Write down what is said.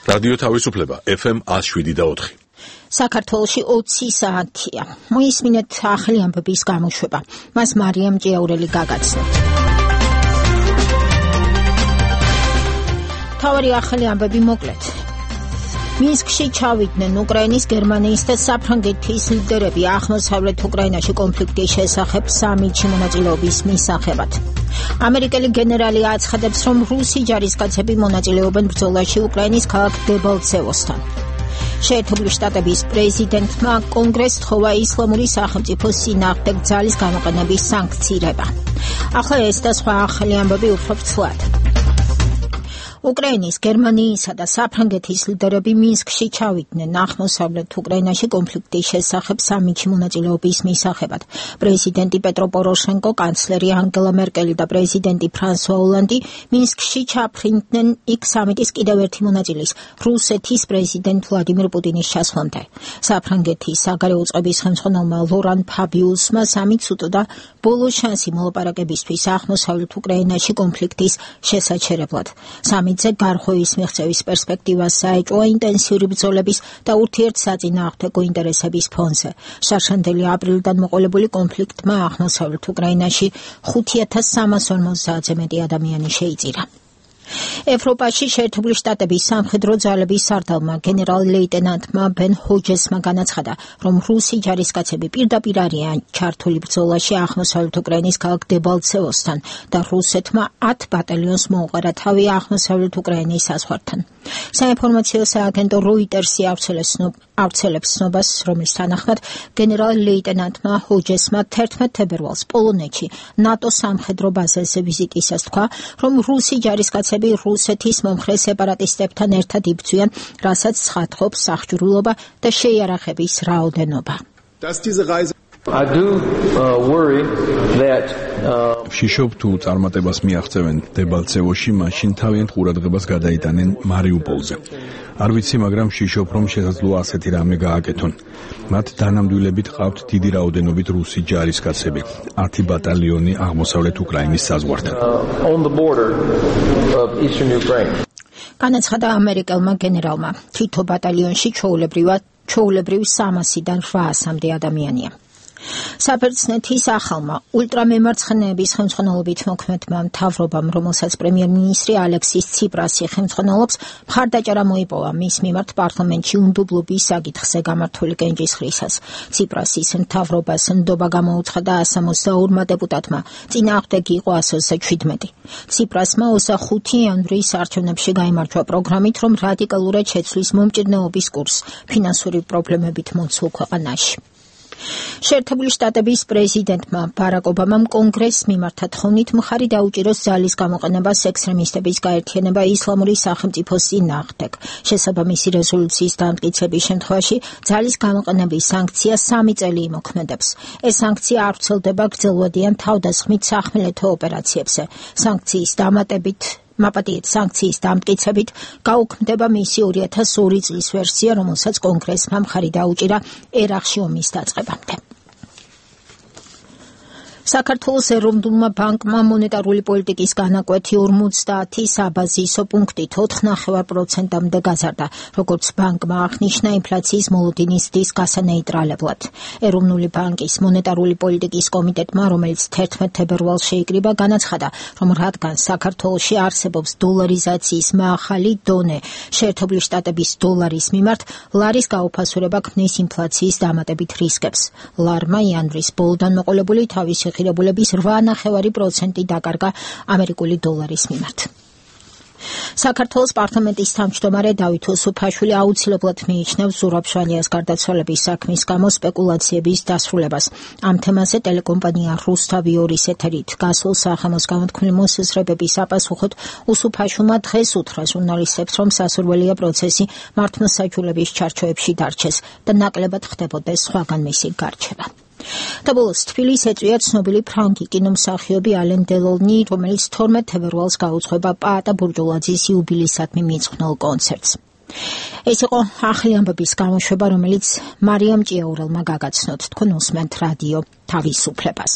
რადიო თავისუფლება FM 107.4. საქართველოში 20 საათია. მოისმინეთ ახალი ამბების გამოშვება. მას მარიამ ჭიაურელი გაგაცნოთ. თავარი ახალი ამბები მოკლედ. მინსკში ჩავიდნენ უკრაინის, გერმანიის და საფრანგეთის ლიდერები აღმოსავლეთ უკრაინაში კონფლიქტის შესახებ სამიტში მონაწილეობის მისაღებად. ამერიკელი გენერალი აცხადებს, რომ რუსი ჯარისკაცები მონაწილეობენ ბრძოლაში უკრაინის ქალაქ დებალცევოსთან. შეერთებული შტატების პრეზიდენტმა კონგრესს თხოვა ისლამური სახელმწიფოს წინააღმდეგ ძალის გამოყენების სანქცირება. ახლა ეს და სხვა ახალი ამბები უფრო ფრთლად. უკრაინის, გერმანიისა და საფრანგეთის ლიდერები მინსკში ჩავიდნენ აღმოსავლეთ უკრაინაში კონფლიქტის შესახებ სამიტში მონაწილეობის მისაღებად. პრეზიდენტი პეტრო პოროშენკო, კანცლერი ანგელა მერკელი და პრეზიდენტი ფრანსუა ოლანდი მინსკში ჩაფრინდნენ იქ სამიტის კიდევ ერთი მონაწილის, რუსეთის პრეზიდენტ ვლადიმირ პუტინის ჩასვლამდე. საფრანგეთის საგარეო წყობის ხელმძღვანელმა ლორან ფაბიუსმა სამიტს უტყდა ბოლო შანსი მოლაპარაკებისთვის აღმოსავლეთ უკრაინაში კონფლიქტის შესაჩერებლად. სამიტზე გარღვევის მიღწევის პერსპექტივას საეჭვოა ინტენსიური ბრძოლების და ურთიერთსაწინააღმდეგო ინტერესების ფონზე. შარშანდელი აპრილიდან მოყოლებული კონფლიქტმა აღმოსავლეთ უკრაინაში 5350-ზე მეტი ადამიანი შეიწირა. ევროპაში შეერთებული შტატების სამხედრო ძალების სარდალმა გენერალ-ლეიტენანტმა ბენ ჰოჯესმა განაცხადა, რომ რუსი ჯარისკაცები პირდაპირ არიან ჩართული ბრძოლაში აღმოსავლეთ უკრაინის ქალაქ დებალცევოსთან და რუსეთმა 10 ბატალიონს მოუყარა თავი აღმოსავლეთ უკრაინის საზღვართან. საინფორმაციო სააგენტო როიტერსი ავრცელებს ცნობას, რომლის თანახმად გენერალ-ლეიტენანტმა ჰოჯესმა 11 თებერვალს პოლონეთში ნატო სამხედრო ბაზაზე ვიზიტისას თქვა, რომ რუსი ჯარისკაცები რუსეთის მომხრე სეპარატისტებთან ერთად იბრძვიან, რასაც ცხადყოფს სახჭურულობა და შეიარაღების რაოდენობა. ვშიშობ თუ წარმატებას მიაღწევენ დებალცევოში, მაშინ თავიანთ ყურადღებას გადაიტანენ მარიუპოლზე. არ ვიცი, მაგრამ ვშიშობ, რომ შესაძლოა ასეთი რამე გააკეთონ. მათ დანამდვილებით ყავთ დიდი რაოდენობით რუსი ჯარისკაცები, 10 ბატალიონი აღმოსავლეთ უკრაინის საზღვართან. განაცხადა ამერიკელმა გენერალმა, თითო ბატალიონში ჩვეულებრივ 300-დან 800-მდე ადამიანია. საბერძნეთის ახალმა ულტრამემარცხენეების ხელმძღვანელობით მოქმედმა მთავრობამ, რომელსაც პრემიერ-მინისტრი ალექსის ციპრასი ხელმძღვანელობს, მხარდაჭერა მოიპოვა მის მიმართ პარლამენტში უნდობლობის საკითხზე გამართული კენჭისყრისას. ციპრასის მთავრობას ნდობა გამოუცხადა 162 დეპუტატმა, წინააღმდეგი იყო 117. ციპრასმა 25 იანვრის არჩევნებში გაიმარჯვა პროგრამით, რომ რადიკალურად შეცვლის მომჭირნეობის კურსს ფინანსური პრობლემებით მოცულ ქვეყანაში. შეერთებული შტატების პრეზიდენტმა ბარაკ ობამამ კონგრესს მიმართა თხოვნით მხარი დაუჭიროს ძალის გამოყენებას ექსტრემისტების გაერთიანება ისლამური სახელმწიფოს წინააღმდეგ. შესაბამისი რეზოლუციის დამტკიცების შემთხვევაში ძალის გამოყენების სანქცია 3 წელი იმოქმედებს. ეს სანქცია არ ვრცელდება გრძელვადიან თავდასხმით სახმელეთო ოპერაციებზე. სანქციის დამტკიცებით გაუქმდება მისი 2002 წლის ვერსია, რომელსაც კონგრესმა მხარი დაუჭირა ერაყში ომის დაწყებამდე. საქართველოს ეროვნულმა ბანკმა მონეტარული პოლიტიკის განაკვეთი 50 საბაზისო პუნქტით 4,9%-მდე გაზარდა, როგორც ბანკმა აღნიშნა ინფლაციის მოლოდინის ზრდის გასანეიტრალებლად. ეროვნული ბანკის მონეტარული პოლიტიკის კომიტეტმა, რომელიც 11 თებერვალს შეიკრიბა, განაცხადა, რომ რადგან საქართველოში არსებობს დოლარიზაციის მაღალი დონე შეერთებული შტატების დოლარის მიმართ, ლარის გაუფასურება ქმნის ინფლაციის დამატებით რისკებს. ლარმა იანვრის ბოლოდან მოყოლებული თავისი ღირებულების 8,9% დაკარგა ამერიკული დოლარის მიმართ. საქართველოს პარლამენტის თავმჯდომარე დავით უსუფაშვილი აუცილებლად მიიჩნევს ზურაბ-შვანიას გარდაცვალების საქმის გამო სპეკულაციების დასრულებას. ამ თემაზე ტელეკომპანია რუსთავი 2-ის ეთერით გასულ სახამოს გამოთქმული მოსაზრებების აპასუხოდ უსუფაშვილმა დღეს უთხრა ჟურნალისტებს, რომ სასურველია პროცესი მართლმოსაჯულების ჩარჩოებში დარჩეს და ნაკლებად ხდებოდეს სხვაგან მისი გარჩევა. და ბოლოს თბილისს ეწვია ცნობილი ფრანგი კინომსახიობი ალენ დელონი, რომელიც 12 თებერვალს გაუძღვება პაატა ბურჯულაძის იუბილეისადმი მიძღვნილ კონცერტს. ეს იყო ახალი ამბების გამოშვება, რომელიც მარიამ ჭიაურელმა გაგაცნოთ. თქვენ უსმენთ რადიო თავისუფლებას.